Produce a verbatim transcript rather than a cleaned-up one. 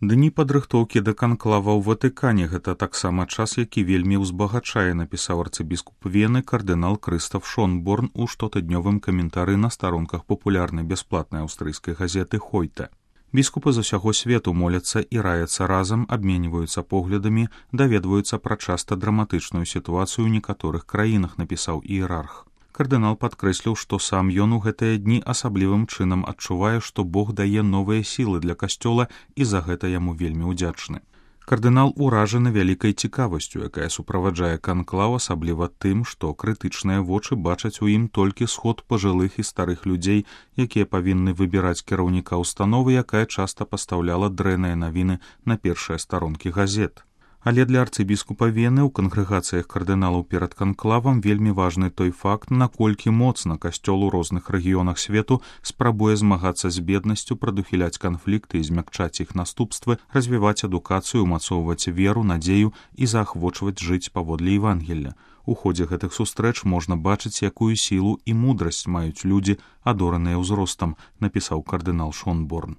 Дні падрыхтоўкі да канклава ў Ватыкане — гэта таксама час, які вельмі ўзбагачае, напісаў арцыбіскуп Вены кардынал Крыстаф Шонборн у штотыднёвым каментары на старонках папулярнай бясплатнай аўстрыйскай газеты «Хойте». Біскупы з усяго свету моляцца і раяцца разам, абменьваюцца поглядамі, даведваюцца пра часта драматычную сітуацыю ў некаторых краінах, напісаў іерарх. Кардынал падкрэсліў, што сам ён у гэтыя дні асаблівым чынам адчувае, што Бог дае новыя сілы для касцёла і за гэта яму вельмі ўдзячны. Кардынал уражаны вялікай цікавасцю, якая суправаджае канклаў, асабліва тым, што крытычныя вочы бачаць у ім толькі сход пажылых і старых людзей, якія павінны выбіраць кіраўніка ўстановы, якая часта пастаўляла дрэнныя навіны на першыя старонкі газет. Але для арцыбіскупа Вены ў кангрэгацыях кардыналаў перад канклавам вельмі важны той факт, наколькі моцна касцёл у розных рэгіёнах свету спрабуе змагацца з беднасцю, прадухіляць канфлікты і змякчаць іх наступствы, развіваць адукацыю, умацоўваць веру, надзею і заахвочваць жыць паводле Евангелля. У ходзе гэтых сустрэч можна бачыць, якую сілу і мудрасць маюць людзі, адораныя ўзростам, напісаў кардынал Шонборн.